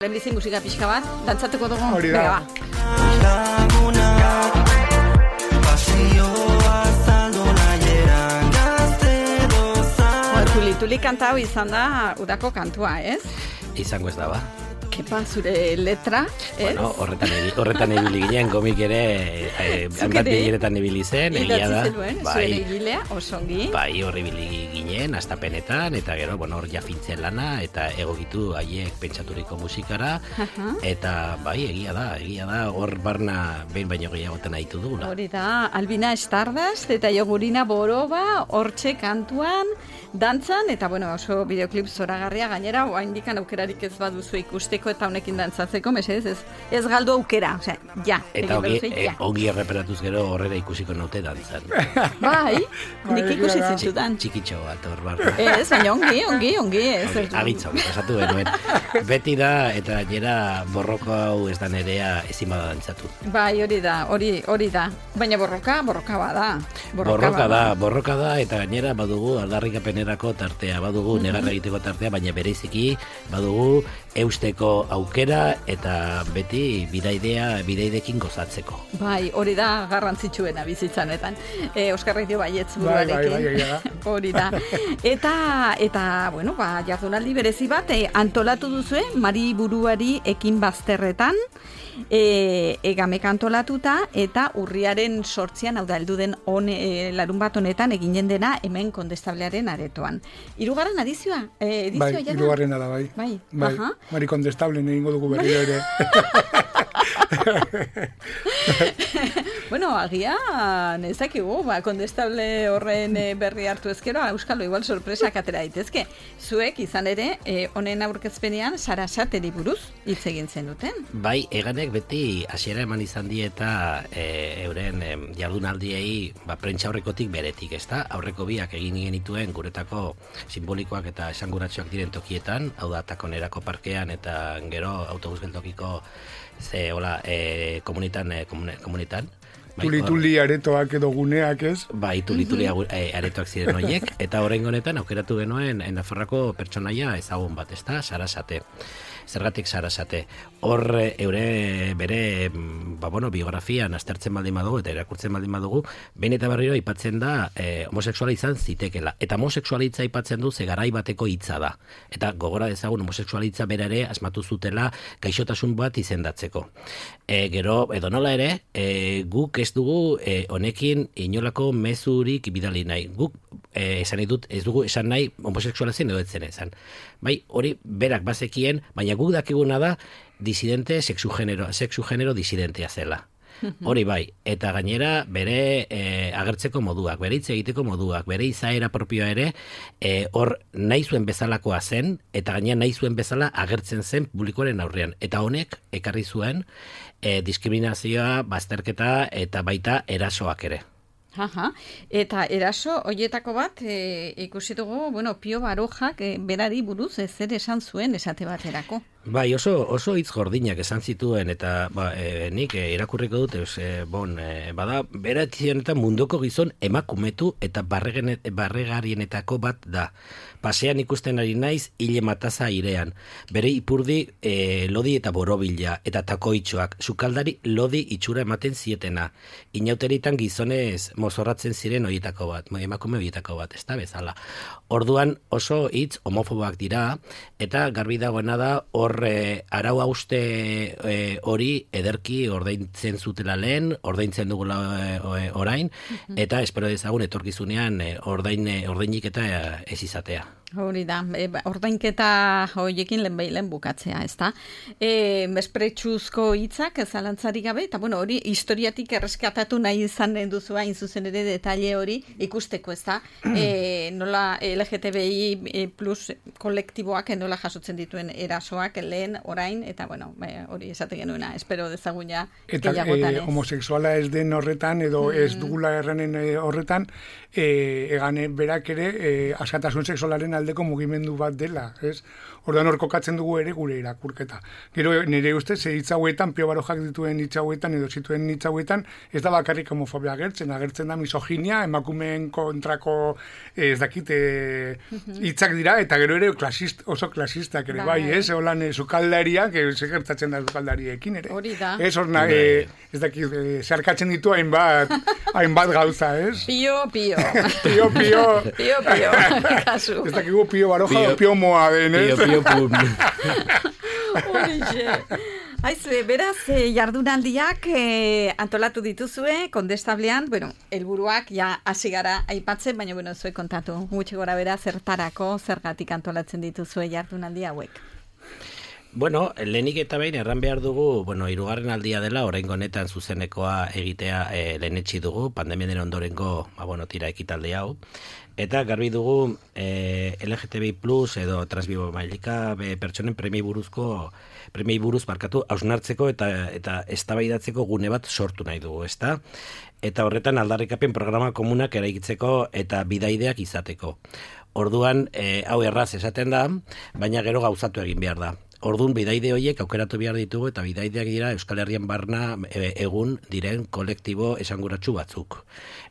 Lehenbizi musika pixka bat, dantzatuko dugu. Hori da. Tuli kanta hau izan da udako kantua, ez? Izango ez da, ba. Kepa, zure letra, ez? Bueno, horretan ibili ginen, gomik ere, handat bileretan ibili zen, egia da. Zure egilea, osongi. Bai, horri ibili ginen, astapenetan, eta gero, bueno, hor jafintzen lana, eta egokitu haiek pentsaturiko musikara, eta bai, egia da, hor barna behin baino gehiagoten aitu dugula. Hori da, Albina Stardust eta Jogurina Boroba, hortxe kantuan, dantzan, eta bueno, oso bideoklip zoragarria gainera, oraindik aukerarik ez baduzu ikusteko eta honekin dantzatzeko, mesedez, ez galdu aukera, osea, ja. Eta ongi erreperatuz gero horrera ikusiko naute dantzan. Bai, nik ikusi zintudan. Txikitxo bat hor barra. Ez, baina ongi, ez. Agitzo, pasatu benuen. Beti da, eta gainera borroko hau ez da nerea ezin bada dantzatu. Bai, hori da. Baina borroka bada. Borroka da, eta gainera badugu aldarrikapenerako tartea, badugu negarra egiteko tartea, baina bereiziki badugu eusteko aukera eta beti bidaidekin gozatzeko. Bai, hori da garrantzitsuena bizitzanetan. Oskarrik dio baietz buruarekin. Bai. Hori da. Eta bueno, jardunaldi berezi bat antolatu duzue Mari buruari ekin bazterretan. Egamek antolatuta eta urriaren 8an, hau da, heldu den larun bat honetan eginen dena hemen Kondestablearen aretoan. 3. edizioa bai, jada? 3. da, bai. Mari Kondestablen egingo dugu berriro ere. Bueno, agian ezakigu, Kondestable horren berri hartu ezkero, euskalo igual sorpresak atera daitezke. Zuek izan ere, honen aurkezpenean Sarasateri buruz hitz egin zenuten. Bai, eganek beti hasiera eman izan die eta euren jardunaldiei prentsaurrekotik beretik, ezta? Aurreko biak egin genituen guretako simbolikoak eta esanguratsuak diren tokietan, hau da Takonerako parkean eta gero autobus geltokiko komunitan. Tuli aretoak edo guneak, ez? Bai, tuli aretoak ziren horiek, eta oraingo honetan aukeratu genuen Nafarroako pertsonaia ezagun bat, ezta? Sarasate. Zergatik Sarasate. Hor bere biografian aztertzen baldin badugu eta irakurtzen baldin badugu, behin eta berriro aipatzen da homosexuala izan zitekela. Eta homosexualitza aipatzen du ze garai bateko hitza da. Eta gogora dezagun homosexualitza bera ere asmatu zutela gaixotasun bat izendatzeko. Gero, edonola ere, guk ez dugu honekin inolako mezurik bidali nahi. Guk esan dut, ez dugu esan nahi homosexuala zen edo etzen esan. Bai, hori berak bazekien, baina guk dakiguna da disidente, sexu genero disidentea zela. Hori bai, eta gainera bere agertzeko moduak, bere hitz egiteko moduak, bere izaera propioa ere hor nahi zuen bezalakoa zen, eta gainera nahi zuen bezala agertzen zen publikoaren aurrean. Eta honek ekarri zuen diskriminazioa, bazterketa eta baita erasoak ere. Eta eraso horietako bat ikusi dugu, Pio Barojak berari buruz zer esan zuen esate baterako. Bai, oso hitz gordinak esan zituen eta nik irakurriko dut, bada beratzenetan munduko gizon emakumetu eta barregarienetako bat da. Pasean ikusten ari naiz hile mataza airean. Bere ipurdi lodi eta borobila eta takoitxoak, sukaldari lodi itxura ematen zietena. Inauteritan gizonez mozorratzen ziren horietako bat, emakume horietako bat, ez da bezala. Orduan oso hitz homofoboak dira, eta garbi dagoena da hor arau hauste hori ederki ordaintzen zutela lehen, ordaintzen dugula orain, eta espero dezagun etorkizunean ordainik eta ez izatea. Hori da, ordainketa horiekin lehen bukatzea, ez da? Mespretsuzko hitzak zalantzarik gabe, eta hori historiatik erreskatatu nahi izan duzu hain zuzen ere detaile hori ikusteko, ez da? Nola LGTBI plus kolektiboak nola jasotzen dituen erasoak lehen, orain, eta hori esaten genuena, espero dezagun ja gehiagotan ez. Homosexuala ez den horretan, edo ez dugula errenen horretan, egan berak ere askatasun sexualaren aldeko mugimendu bat dela, ez? Orduan hor kokatzen dugu ere gure irakurketa. Gero nire ustez hitz hauetan, Pio Barojak dituen hitz hauetan edo zituen hitz hauetan, ez da bakarrik homofobia agertzen da misoginia, emakumeen kontrako ez dakite hitzak dira, eta gero ere oso klasistak ere, bai, ez? Holan sukaldariak, segertatzen da sukaldariekin ere. Hori da. Ez horna, ez dakit, zeharkatzen ditu hainbat gauza, ez? Pio. Pio. Pio, kasu. Ez dakigu pio baroja o pio moa den, ez? Pio pum. Horixe. Aizue, beraz, jardunaldiak antolatu dituzue, kondestablean, helburuak ja hasi gara aipatzen, baina, zuek kontatu, gutxi gora bera zertarako, zergatik antolatzen dituzue jardunaldi hauek. Lehenik eta behin erran behar dugu, hirugarren aldia dela, oraingo honetan zuzenekoa egitea lehenetsi dugu, pandemiaren ondorengo, tira ekitalde hau. Eta garbi dugu LGTBI plus edo transbibo mailika pertsonen premiei buruz hausnartzeko eta eztabaidatzeko gune bat sortu nahi dugu, ezta? Eta horretan aldarrikapen programa komunak eraikitzeko eta bidaideak izateko. Orduan, hau erraz esaten da, baina gero gauzatu egin behar da. Orduan, bidaide horiek aukeratu behar ditugu eta bidaideak dira Euskal Herrian barna egun diren kolektibo esanguratsu batzuk.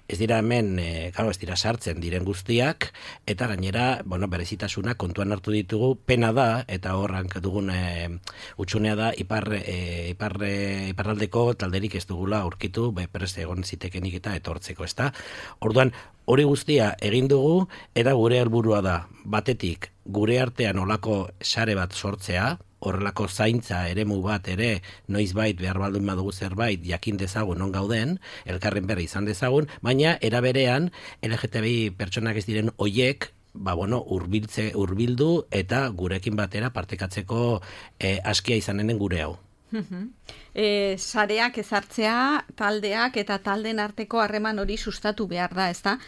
Ez dira hemen, ez dira sartzen diren guztiak, eta gainera, berezitasuna kontuan hartu ditugu, pena da, eta horrank dugun utxunea da, iparraldeko talderik ez dugula aurkitu, prest egon zitekenik eta etortzeko, ezta? Orduan, hori guztia egin dugu, eta gure helburua da, batetik, gure artean olako sare bat sortzea, horrelako zaintza eremu bat ere noizbait behar baldun badugu zerbait jakin dezagun non gauden, elkarren berri izan dezagun, baina eraberean LGTBI pertsonak ez diren hoiek hurbildu eta gurekin batera partekatzeko askia izanen gure hau. Sareak ezartzea, taldeak eta taldeen arteko harreman hori sustatu behar da, ezta?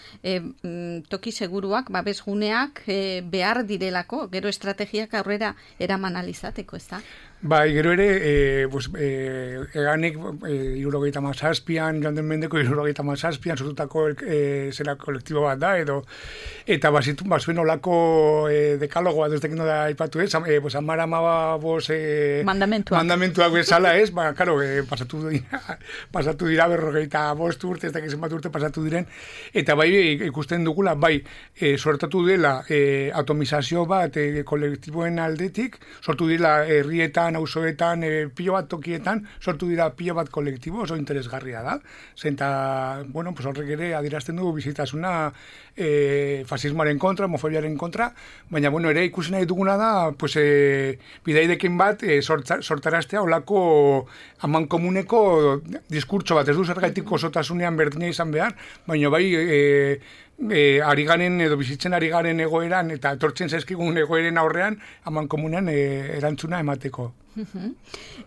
Toki seguruak, babesguneak behar direlako, gero estrategiak aurrera eraman alizateko, ezta? Bai, gero ere, eganek 77an, joan den mendeko 77an sortutako zera kolektibo bat da, eta bazuen olako dekalogoa, duztekin da aipatu ez, amara amabos mandamentuak bezala ez, karo, pasatu dira 45 urte, ez dakizen bat urte pasatu diren, eta bai ikusten dugula, bai, sortatu dela atomizazio bat kolektiboen aldetik, sortu dela herrietan, auzoetan, pilo bat tokietan, sortu dira pilo bat kolektibo, oso interesgarria da. Zenta, horrek ere adirazten dugu bizitasuna fasismoaren kontra, homofobiaren kontra, baina, ere ikusi nahi duguna da, bidaidekin bat sortaraztea olako aman komuneko diskurtso bat, ez du zergaitik osotasunean berdina izan behar, baina bai ari garen edo bizitzen ari garen egoeran eta etortzen zaizkigun egoeren aurrean aman komunean erantzuna emateko.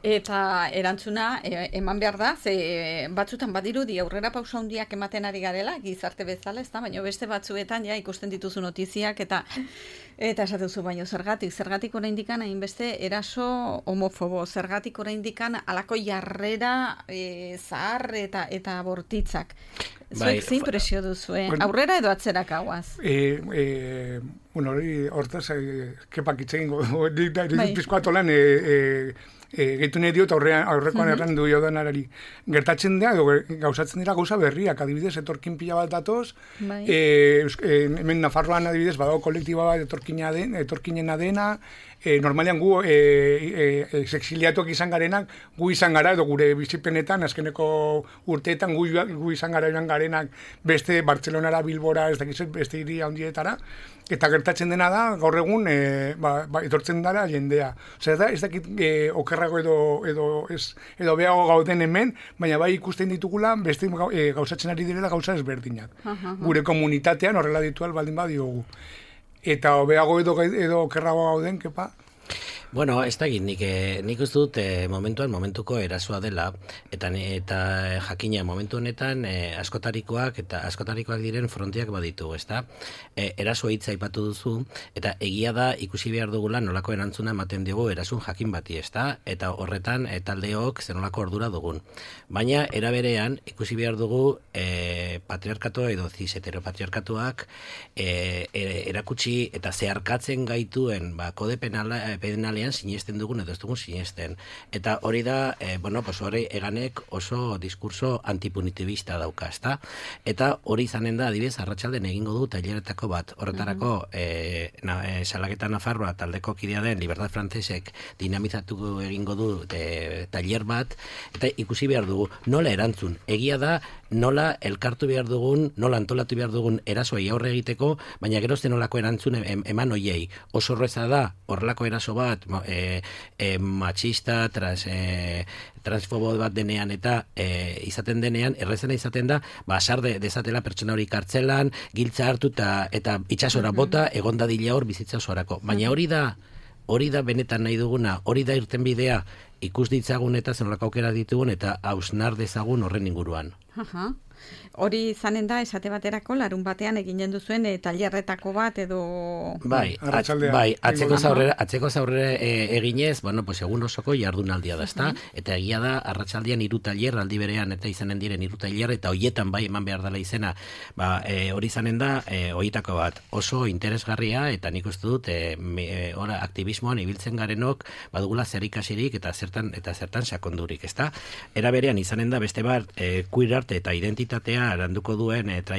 Eta erantzuna eman behar da, ze batzutan badirudi aurrera pausa handiak ematen ari garela, gizarte bezala, ez da, baina beste batzuetan ja ikusten dituzu notiziak eta esatezu baino zergatik oraindikan hainbeste eraso homofobo, zergatik oraindikan alako jarrera zahar eta bortitzak. Zuek zein presio duzue, aurrera edo atzera kauaz? Hortaz, kepak itzegin, pizkoat olan, gehitu nahi diot aurrekoan errandu jodanarari. Gertatzen dira, gauzatzen dira gauza berriak, adibidez, etorkin pila bat datoz, hemen Nafarroan adibidez, badago kolektiba bat etorkinena dena, normalean gu exiliatuak izan garenak, gu izan gara, edo gure bizipenetan, azkeneko urteetan gu izan gara joan garenak beste Bartzelonara, Bilbora, ez dakizet, beste hiri handietara, eta gertatzen dena da, gaur egun, etortzen dara jendea. Osea, ez dakit okerrago edo behago gauden hemen, baina bai ikusten ditugula, beste gauzatzen ari direla gauza ezberdinak. Gure komunitatean horrela ditual baldin badiogu. Eta hobeago edo okerrago gauden, kepa? Bueno, ez da nik uste dut momentuko erasoa dela, eta jakina momentu honetan askotarikoak diren frontiak baditu, ez da? Erasoa hitza aipatu duzu, eta egia da ikusi behar dugula nolako erantzuna ematen dugu erasun jakin bati, ez da? Eta horretan taldeok zer nolako ordura dugun. Baina, eraberean, ikusi behar dugu patriarkatu edo cis-heteropatriarkatuak erakutsi eta zeharkatzen gaituen kode penala pedinalean sinesten dugun edo ez dugun sinesten. Eta hori da, hori eganek oso diskurso antipunitibista dauka, ezta? Eta hori izanen da, adibidez, arratsalden egingo du taileretako bat. Horretarako, Salaketa Nafarroa taldeko kidea den Libertad Frantsesek dinamizatu egingo du tailer bat, eta ikusi behar dugu nola erantzun. Egia da, nola elkartu behar dugun, nola antolatu behar dugun erasoei aurre egiteko, baina gerozten nolako erantzun eman hoiei. Oso horreza da, horrelako eraso bat, machista, transfobo bat denean eta izaten denean, errezena izaten da, sar dezatela pertsona hori kartzelan, giltza hartu eta itxasora bota, egon dadila hor bizitza osorako. Baina hori da benetan nahi duguna, hori da irten bidea, ikus ditzagun eta zenolako aukera ditugun eta hausnar dezagun horren inguruan. Hori izanen da, esate baterako, larun batean eginen duzuen tailerretako bat edo... Bai, atzeko zaurrera eginez, egun osoko jardunaldia da, ezta? Eta egia da, arratsaldean 3 tailer, aldi berean, eta izanen diren 3 tailer, eta hoietan bai eman behar dela izena, hori izanen da, horietako bat, oso interesgarria, eta nik uste dut, aktivismoan ibiltzen garenok, badugula zer ikasirik, eta zertan sakondurik, ezta? Era berean izanen da, beste bat, queer arte eta identitatea aranduko duen eta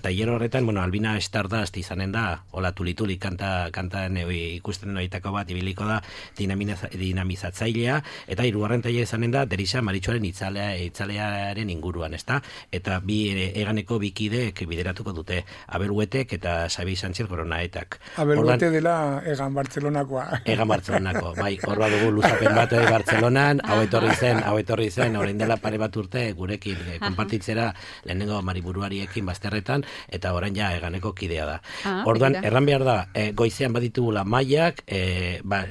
tailer horretan, Albina Stardust izanen da, hola tulituli kantan ikusten horietako bat ibiliko da dinamizatzailea, eta 3. tailer izanen da Derisa Maritxoaren itzalearen inguruan, ezta? Eta eganeko bikideek bideratuko dute, Abel Huetek eta Xabi Sánchez Goronaetak. Abel Huete dela Egan Bartzelonakoa. Egan Bartzelonako, bai, hor badugu luzapen bat Bartzelonan, hau etorri zen, orain dela pare bat urte gurekin konpartitzera lehenengo mariburuariekin bazterretan, eta orain ja eganeko kidea da. Orduan, erran behar da, goizean baditugula mailak,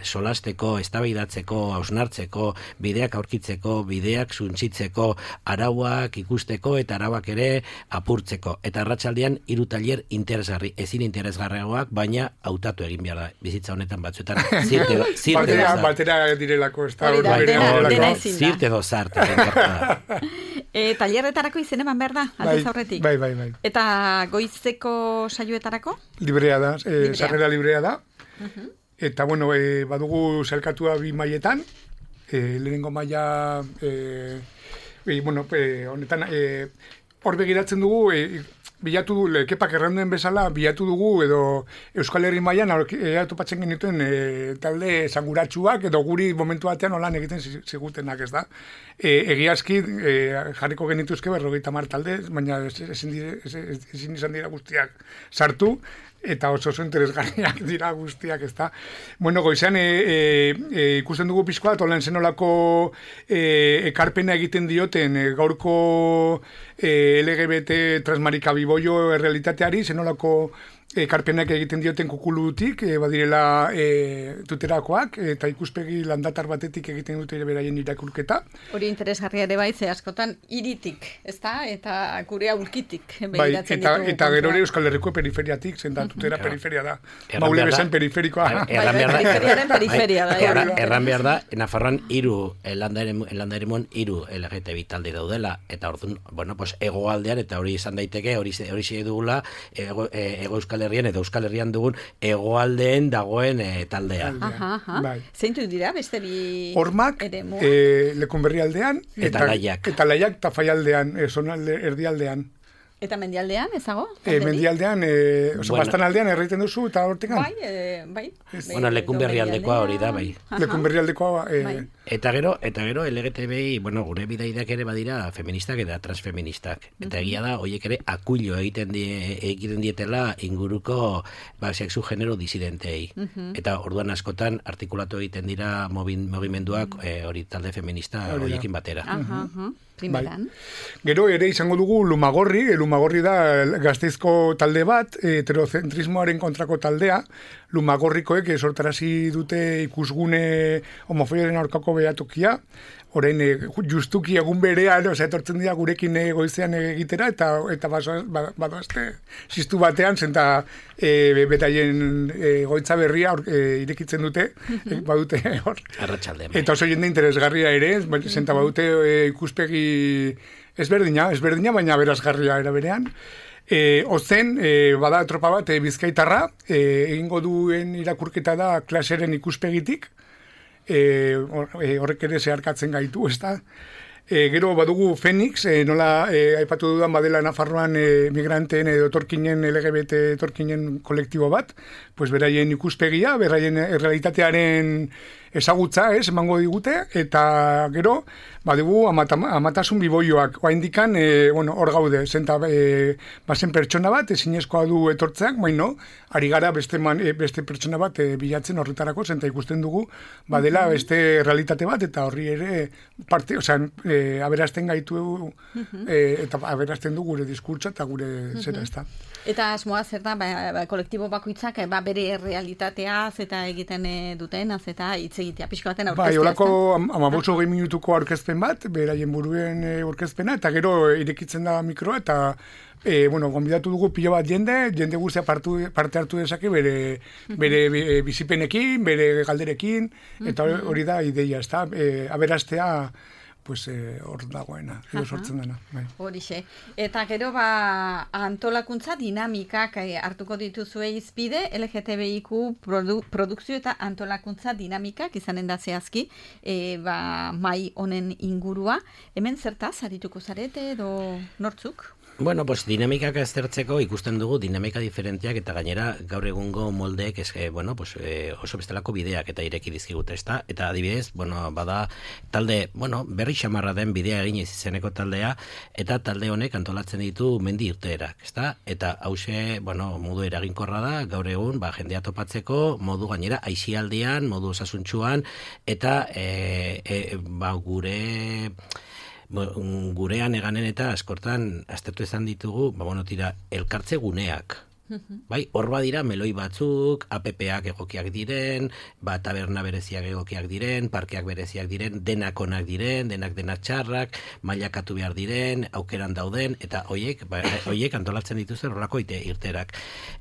solasteko, eztabaidatzeko, hausnartzeko, bideak aurkitzeko, bideak suntzitzeko, arauak ikusteko, eta arauak ere apurtzeko. Eta arratsaldean 3 tailer interesgarri, ezin interesgarriagoak, baina hautatu egin behar da, bizitza honetan batzuetan, batera direlako, ez da, zirte dozarte, tailerretarako izen eman behar da, aldez aurretik. Bai. Eta goizeko saioetarako? Librea da, sarrera librea da. Eta, badugu zelkatua 2 mailetan, lehenengo maila, honetan, hor begiratzen dugu, bilatu, Kepak erranduen bezala, bilatu dugu, edo Euskal Herri mailan topatzen genituen talde esanguratsuak, edo guri momentu batean olan egiten zigutenak, ez da. Egiazki, jarriko genituzke 50 talde, baina ezin izan dira guztiak sartu, eta oso interesgarriak dira guztiak, ez da. Goizean ikusten dugu pixkoa, tolan zenolako ekarpena egiten dioten gaurko LGBT transmarika biboio errealitateari, zenolako ekarpenak egiten dioten kukulutik, badirela tuterakoak, eta ikuspegi landatar batetik egiten dute ere beraien irakurketa. Hori interesgarria ere bai, ze askotan hiritik, ezta? Eta gure aurkitik. Bai, eta gero ere Euskal Herriko periferiatik, zenta tutera periferia da. Maule bezain periferikoa. Periferia da. Erran behar da, Nafarroan 3 landaremuan 3 LGTB talde daudela, eta orduan, hegoaldean, eta hori izan daiteke, hori xe dugula, ego Euskal Herrian eta Euskal Herrian dugun hegoaldeen dagoen taldea. Zeintu dira beste bi Hormak, Lekunberri aldean, eta Laiak. Eta Laiak eta Faialdean, erdialdean. Eta mendialdean, ezago? Mendialdean, bastan aldean erraiten duzu, eta hortekan? Bai. Lekunberri aldekoa hori da, bai. Lekunberri aldekoa, Eta gero LGTBI, gure bidaideak ere badira feministak eta transfeministak. Eta egia da, horiek ere akuilo egiten dietela inguruko sexu genero disidentei. Eta orduan askotan artikulatu egiten dira mugimenduak hori talde feminista horiekin batera. Primeran. Gero ere izango dugu Lumagorri da Gasteizko talde bat, heterocentrismoaren kontrako taldea, Lumagorrikoek sortarazi dute ikusgune homofobiaren aurkako behatokia, orain justuki egun berean, etortzen dira gurekin goizean egitera, eta badoazte ziztu batean, zenta betaien goitza berria irekitzen dute, badute hor. Arratsaldean. Eta oso jende interesgarria ere, zenta badute ikuspegi ezberdina, baina berazgarria era berean. Ozen, bada tropa bat, bizkaitarra, egingo duen irakurketa da klaseren ikuspegitik, horrek ere zeharkatzen gaitu, ez da? Gero badugu Fenix, nola aipatu dudan badela Nafarroan migranteen edo etorkinen LGBT etorkinen kolektibo bat, pues beraien ikuspegia, beraien realitatearen ezagutza, emango digute, eta gero, badugu amatasun biboioak, oaindikan, hor gaude, zenta bazen pertsona bat, ezinezkoa du etortzeak, baino, ari gara beste pertsona bat bilatzen horretarako, zenta ikusten dugu, badela beste realitate bat, eta horri ere, parte, aberazten gaitu, eta aberazten du gure diskurtsa eta gure zera, ez da. Eta asmoa zer da, kolektibo bakoitzak bere realitateaz eta egiten dutenaz eta hitz egitea, pixko baten aurkeztea. Olako 15-20 minutuko aurkezpen bat, beraien buruen aurkezpena, eta gero irekitzen da mikroa, eta gonbidatu dugu pilo bat jende guztia parte hartu dezake bere bizipenekin, bere galderekin, eta hori da ideia, ez da, aberaztea, pues hor dagoena, edo sortzen dena. Horixe. Eta gero antolakuntza dinamikak hartuko dituzue izpide, LGTBIQ produkzio eta antolakuntza dinamikak izanen da zehazki, mai honen ingurua. Hemen zertaz, arituko zarete edo nortzuk? Bueno, pues dinamikak aztertzeko ikusten dugu dinamika diferenteak eta gainera gaur egungo moldeek oso bestelako bideak eta ireki dizkigute, ezta? Eta adibidez, bada talde, berri xamarra den bidea egin izeneko taldea eta talde honek antolatzen ditu mendi irteerak, ezta? Eta hause, modu eraginkorra da gaur egun, jendea topatzeko, modu gainera aisialdian, modu osasuntsuan eta gurean eganen eta askortan aztertu izan ditugu, elkartze guneak. Bai, hor badira meloi batzuk, APPak egokiak diren, taberna bereziak egokiak diren, parkeak bereziak diren, denak onak diren, denak txarrak, mailakatu behar diren, aukeran dauden, eta hoiek antolatzen dituzten horrako irterak.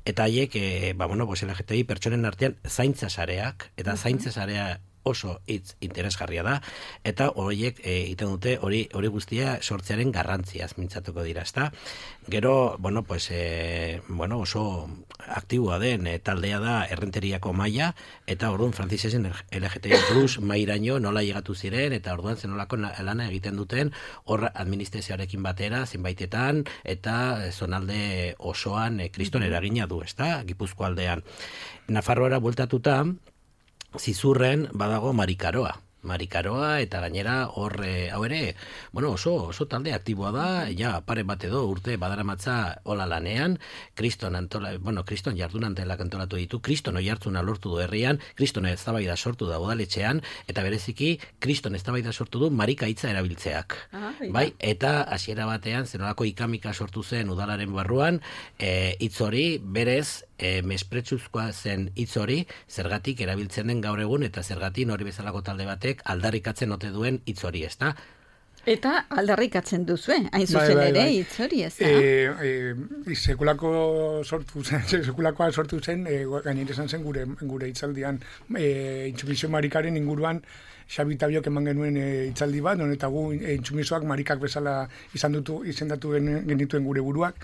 Eta haiek, LGTBI pertsonen artean zaintza sareak, eta zaintza sarea oso hitz interesgarria da, eta horiek egiten dute hori guztia sortzearen garrantziaz mintzatuko dira, ezta? Gero, oso aktiboa den taldea da Errenteriako maila, eta orduan Frantzisesen LGTBI Plus mairaino nola llegatu ziren, eta orduan zenolako lana egiten duten hor administrazioarekin batera, zenbaitetan, eta zonalde osoan kriston eragina du, ezta? Gipuzko aldean. Nafarroara bueltatuta, Zizurren badago Marikaroa eta gainera hor hau ere, oso talde aktiboa da, pare bat edo urte badaramatza hola lanean, Kriston jardun antelak antolatu ditu, Kriston oihartzuna lortu du herrian, Kriston eztabaida sortu da udaletxean, eta bereziki Kriston eztabaida sortu du marika hitza erabiltzeak. Bai, eta hasiera batean zenolako ikamika sortu zen udalaren barruan, hitz hori berez mespretsuzkoa zen hitz hori, zergatik erabiltzen den gaur egun, eta zergatik hori bezalako talde batek aldarrikatzen ote duen hitz hori, ezta? Eta aldarrikatzen duzue, hain zuzen ere hitz hori, ezta? Sekulakoa sortu zen, gainera izan zen gure hitzaldian, intsumisio marikaren inguruan, Xabi Tabiok eman genuen hitzaldi bat, eta gu intsumisoak marikak bezala izendatu genituen gure buruak,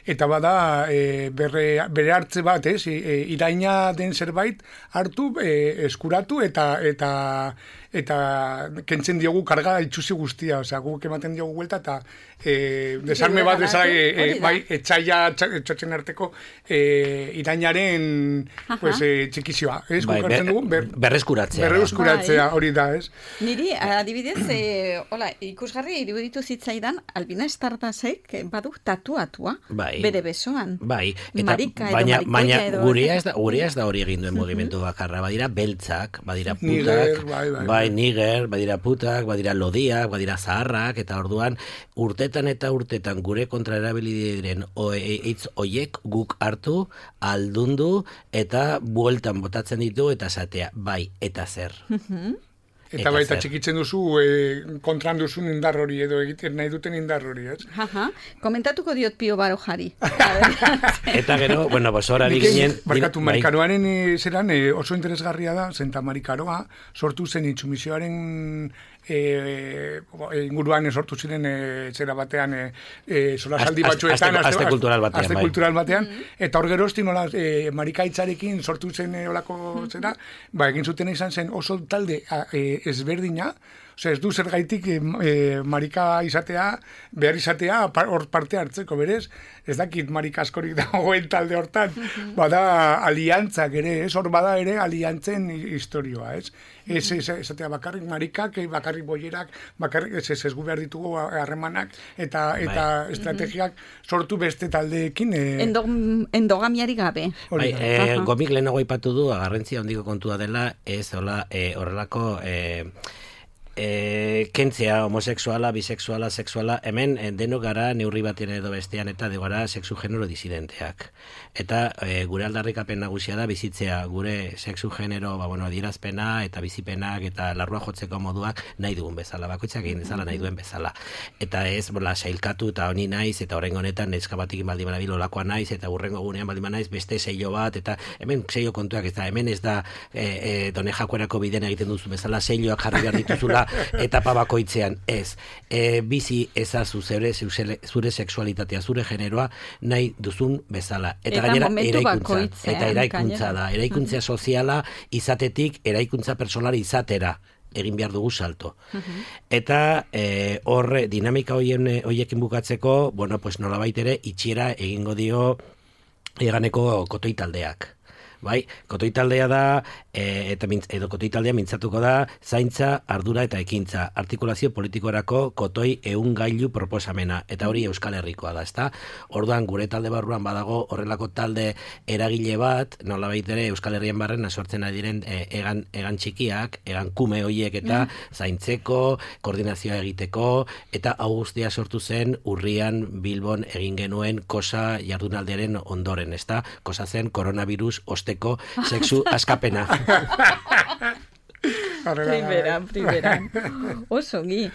eta bada bere hartze bat, iraina den zerbait hartu, eskuratu eta kentzen diogu karga itxusi guztia, guk ematen diogu buelta eta desarme bat bezala etxaila txotzen arteko irainaren txikizioa. Berreskuratzea hori da, ez? Niri, adibidez, ikusgarri iruditu zitzaidan Albina Estartasek badu tatuatua bere besoan. Bai, baina gurea ez da hori egin duen mugimendu bakarra, badira beltzak, badira putak, bai, niger, badira putak, badira lodiak, badira zaharrak, eta orduan urtetan gure kontra erabili diren hitz hoiek guk hartu, aldundu, eta bueltan botatzen ditu, eta esatea, bai, eta zer. Eta baita txikitzen duzu kontran duzun indar hori edo egiten nahi duten indar hori, ez? Komentatuko diot Pio Barojari. Eta gero, bueno, horari ginen... Barkatu, Marikaroaren zeran oso interesgarria da, zenta Marikaroa sortu zen intsumisioaren inguruan sortu ziren zera batean solasaldi batzuetan aste kultural batean eta hor gerozti nola marikaitzarekin sortu zen olako zera egin zuten izan zen oso talde ezberdina. Osea, ez du zergaitik marika izatea, behar izatea, hor parte hartzeko, berez? Ez dakit marika askorik dagoen talde hortan. Bada aliantzak ere, ez? Hor bada ere aliantzen historioa, ez? Ez esatea bakarrik marikak, bakarrik boierak, bakarrik ez gu behar ditugu harremanak eta estrategiak sortu beste taldeekin. Endogamiari gabe. Gomik lehenago aipatu du, garrantzia handiko kontua dela, ez horrelako... kentzea homosexuala, bisexuala, sexuala, hemen denok gara neurri batean edo bestean eta de gara sexu genero disidenteak. Eta gure aldarrikapen nagusia da bizitzea gure sexu genero, adierazpena eta bizipenak eta larrua jotzeko moduak nahi dugun bezala, bakoitzak egin dezala nahi duen bezala. Eta ez, sailkatu eta honi naiz, eta horrengo honetan neska batik baldin banabil olakoa naiz, eta hurrengo gunean baldin banaiz beste seio bat, eta hemen seio kontuak ez da, hemen ez da Done Jakuerako biden egiten duzu bezala, seioak jarri behar dituzula etapa bakoitzean, ez. Bizi ezazu zure sexualitatea, zure generoa nahi duzun bezala. Eta gainera eraikuntza. Eta eraikuntza da. Eraikuntza soziala izatetik, eraikuntza personala izatera egin behar dugu salto. Eta hor dinamika hoiekin bukatzeko, nolabait ere itxiera egingo dio eganeko kotoi taldeak. Bai, kotoi taldea da, edo kotoi taldea mintzatuko da, zaintza, ardura eta ekintza, artikulazio politikorako kotoi gailu proposamena, eta hori Euskal Herrikoa da, ezta? Orduan, gure talde barruan badago horrelako talde eragile bat, nolabait ere Euskal Herrian barren sortzen ari diren egan txikiak, egan kume hoiek eta zaintzeko, koordinazioa egiteko, eta hau guztia sortu zen urrian Bilbon egin genuen kosa jardunaldiaren ondoren, ezta? Kosa zen coronavirus osteko sexu askapena. Primera. Osongi.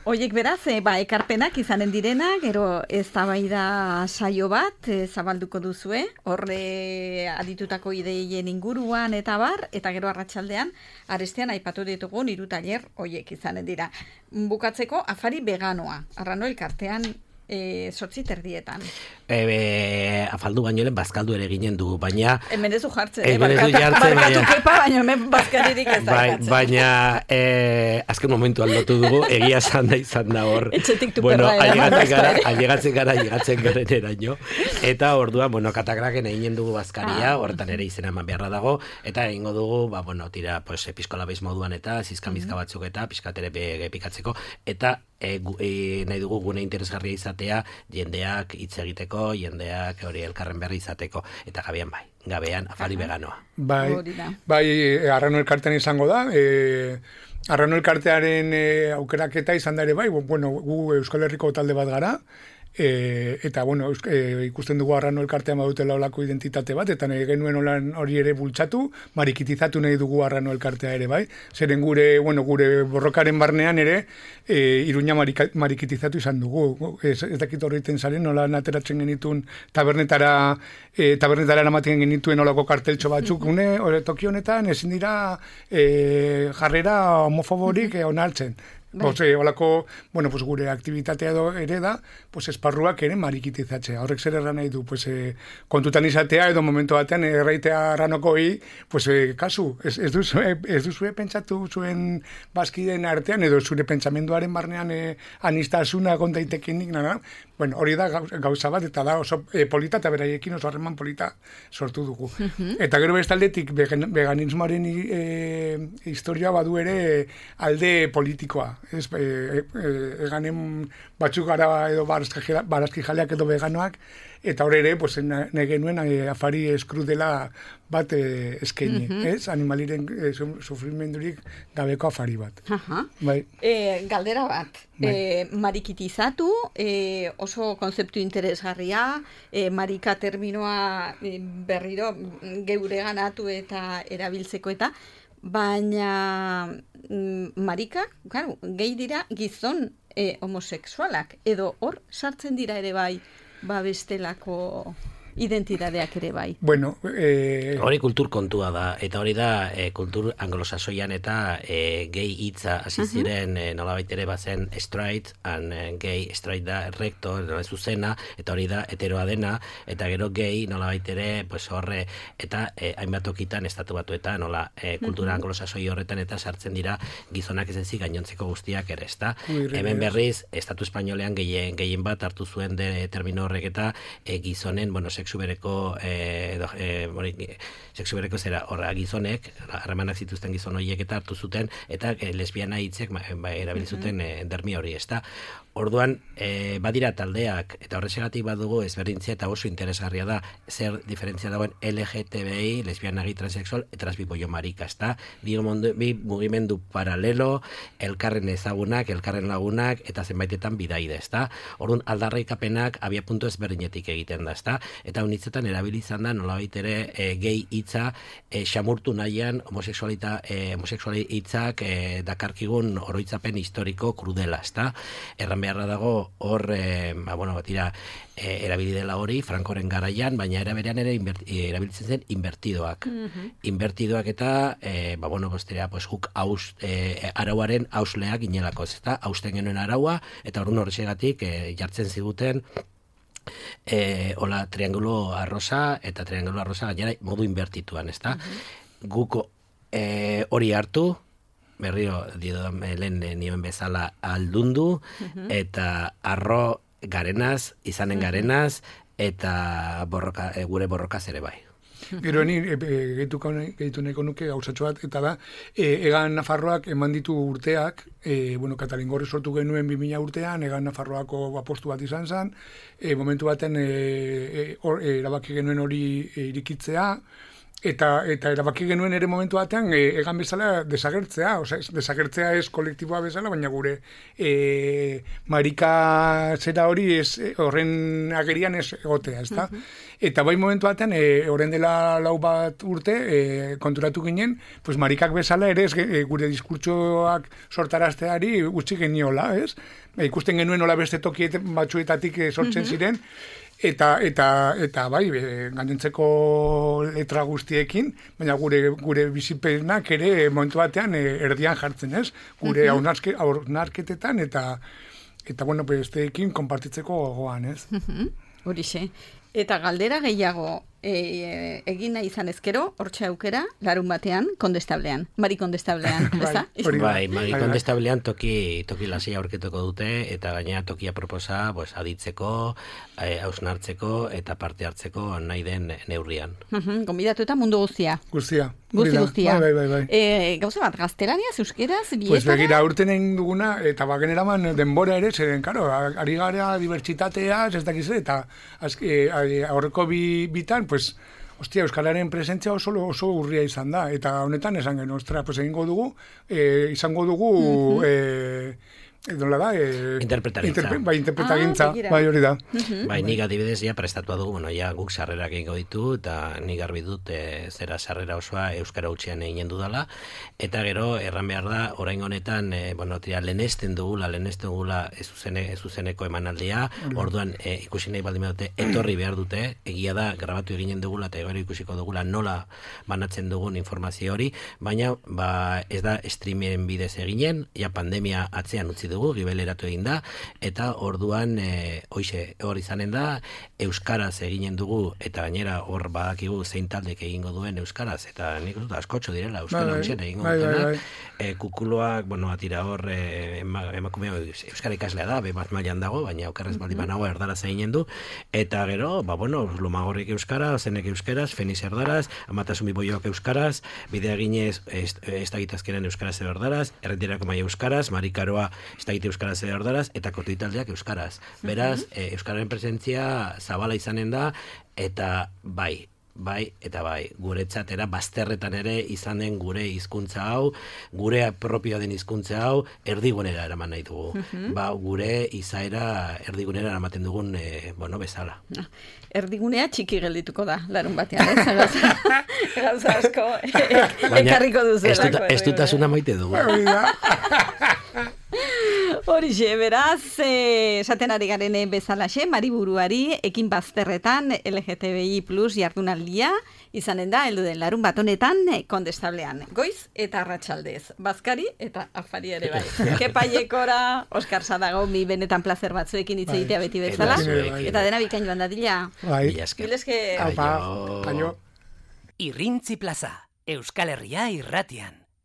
Oiek beraz, ekarpenak izanen direna, gero eztabaida saio bat zabalduko duzue, horre aditutako ideien inguruan eta bar, eta gero arratsaldean arestean aipatu ditugun 3 tailer oiek izanen dira. Bukatzeko afari veganoa, Arrano elkartean 8:30. Afaldu baino lehen bazkaldu ere ginen dugu, baina... Hemen ez du jartzen, barkatu kepa, baina hemen bazkalirik ez da. Baina azken momentu aldatu dugu, egia izan da hor. Etxetik tuperra ailegatzen garen eraino. Eta orduan, katakraken eginen dugu bazkaria, horretan ere izena eman beharra dago, eta egingo dugu, episkola bez moduan eta zizkamizka batzuk eta piskatere pikatzeko, eta nahi dugu gune interesgarria izatea, jendeak hitz egiteko, jendeak hori elkarren berri izateko, eta gabean afari veganoa. Bai, Arrano elkartean izango da, Arrano elkartearen aukeraketa izan da ere bai, gu Euskal Herriko talde bat gara, eta ikusten dugu Arrano elkartean badutela olako identitate bat, eta nahi genuen hori ere bultzatu, marikitizatu nahi dugu Arrano elkartea ere bai, zeren gure borrokaren barnean ere Iruña marikitizatu izan dugu, ez dakit horreiten zaren, nola ateratzen genituen tabernetara eramaten genituen olako karteltxo batzuk, toki honetan ezin dira jarrera homofoborik onartzen. Olako, gure aktivitatea ere da, esparruak ere marikitizatzea. Horrek zer erran nahi du, kontutan izatea edo momentu batean erraitea Arranokoi, kasu, ez duzue pentsatu zuen bazkideen artean edo zure pentsamenduaren barnean anistasuna kontaitekenik, hori da gauza bat, eta da oso polita eta beraiekin oso harreman polita sortu dugu. Eta gero bestaldetik veganismoaren historia badu ere alde politikoa. Eganen batzuk gara edo barazki jaleak edo veganoak, eta hor ere, nahi genuen afari eskrudela bat eskaini, animaliren sufrimendurik gabeko afari bat. Galdera bat, marikitizatu, oso konzeptu interesgarria, marika terminoa berriro geure ganatu eta erabiltzeko eta, baina marikak, claro, gehi dira gizon homosexualak, edo hor sartzen dira ere bai, bestelako identitateak ere bai. Bueno, hori kultur kontua da, eta hori da kultur anglosasoian eta gay hitza hasi ziren nolabait ere bazen straight, gay straight da recto, zuzena, eta hori da heteroa dena, eta gero gay nolabait ere pues horre, eta hainbat tokitan estatu batuetan nola kultura anglosasoi horretan eta sartzen dira gizonak ez ezik gainontzeko guztiak ere, ezta? Hemen berriz estatu espainolean gehien bat hartu zuen termino horrek eta gizonen, bueno, sexu bereko zera horra gizonek, harremanak zituzten gizon horiek eta hartu zuten, eta lesbiana hitzek erabili zuten dermi hori, ezta? Orduan, badira taldeak, eta horrexegatik badugu ezberdintzia eta oso interesgarria da, zer diferentzia dagoen LGTBI, lesbiana, gay, transexual, eta transbipoio marika, ezta? Bi mugimendu paralelo, elkarren ezagunak, elkarren lagunak, eta zenbaitetan bidaide, ezta? Orduan, aldarrikapenak abia puntu ezberdinetik egiten da, ezta? Eta honitzetan erabili izan da nolabait ere gay hitza xamurtu nahian homosexuali hitzak dakarkigun oroitzapen historiko krudela, ezta? Erran beharra dago hor, erabili dela hori Frankoren garaian, baina era berean ere erabiltzen zen invertidoak. Invertidoak eta, guk arauaren ausleak inelako, ezta? Hausten genuen araua, eta horren horrexegatik jartzen ziguten hola triangulo arrosa, eta triangulo arrosa gainera modu invertituan, ezta? Guko hori hartu, berriro lehen nioen bezala aldundu, eta arro garenaz, izanen garenaz, eta gure borrokaz ere bai. Gero ni gehitu nahiko nuke gauzatxo bat, eta da, Egan Nafarroak eman ditu urteak, Katalingorri sortu genuen 2000 urtean, Egan Nafarroako apostu bat izan zen, momentu baten erabaki genuen hori irikitzea, eta erabaki genuen ere momentu batean Egan bezala desagertzea, desagertzea ez kolektiboa bezala, baina gure marika zera hori horren agerian ez egotea, ezta? Eta bai momentu batean, horren dela 4 urte, konturatu ginen, pues marikak bezala ere gure diskurtsoak sortarazteari utzi geniola, ez? Ikusten genuen hola beste toki batzuetatik sortzen ziren, eta bai, gainontzeko letra guztiekin, baina gure bizipenak ere momentu batean erdian jartzen, ez? Gure hausnarketetan eta besteekin konpartitzeko gogoan, ez? Horixe. Eta galdera gehiago egin nahi izan ezkero, hortxe aukera, larun batean, kondestablean, Mari Kondestablean, ez da? Bai, Mari Kondestablean toki lasia aurketuko dute, eta gainera tokia proposa aditzeko, hausnartzeko, eta parte hartzeko nahi den neurrian. Gonbidatu eta mundu guztia. Guztia. Bai. Gauza bat, gaztelaniaz, euskeraz, bietara? Pues begira, urten egin duguna, eta bageneraman denbora ere, zeren, karo, ari gara dibertsitatea, ez dakiz, eta aurreko bitan, pues, hostia, euskararen presentzia oso urria izan da, eta honetan esan genuen, pues egingo dugu, izango dugu, nola da? Interpretagintza, bai hori da. Bai, nik adibidez ja prestatua dugu, guk sarrerak egingo ditu, eta nik garbi dut zera sarrera osoa euskara hutsean egin dudala, eta gero erran behar da, orain honetan, lehenesten dugula ez zuzeneko emanaldia, orduan ikusi nahi baldin dute, etorri behar dute, egia da, grabatu eginen dugula, eta gero ikusiko dugula nola banatzen dugun informazio hori, baina ez da streamen bidez eginen, pandemia atzean utzi dugu, gibeleratu egin da, eta orduan hor izanen da, euskaraz eginen dugu, eta gainera hor badakigu zein taldek egingo duen euskaraz, eta nik dut askotxo direla, euskara hutsen egingo dutenak, kukuloak, atira hor emakumea euskara ikaslea da, bat mailan dago, baina okerrez baldin banago erdaraz eginen du, eta gero, Lumagorrik euskara, zenek euskaraz, Feniz erdaraz, Amatasun Biboioak euskaraz, bidea ginez ez dagitazkenen euskaraz edo erdaraz, Errentirako Maia euskaraz, Marikaroa ez dagite euskaraz edo erdaraz, eta kotitaldeak euskaraz. Beraz, euskararen presentzia zabala izanen da, eta bai, bai, eta bai, guretzatera bazterretan ere izanen gure hizkuntza hau, gure propioa den hizkuntza hau, erdigunera eraman nahi dugu. Gure izaera erdigunera eramaten dugun, bezala. Erdigunea txiki geldituko da, larun batean, gauza asko, ekarriko duzelako. Ez dutasuna maite dugu. Horixe, beraz, esaten ari garen bezalaxe, Mariburuari ekin bazterretan LGTBI plus jardunaldia izanen da, heldu den larun bat honetan, Kondestablean. Goiz eta arratsaldez, bazkari eta afari ere bai. Kepaiekora, Oskar Sadago, mi benetan placer batzuekin hitz egitea beti bezala. Eta dena bikain joan dadila. Bileske. Aio. Irrintzi plaza, Euskal Herria irratian.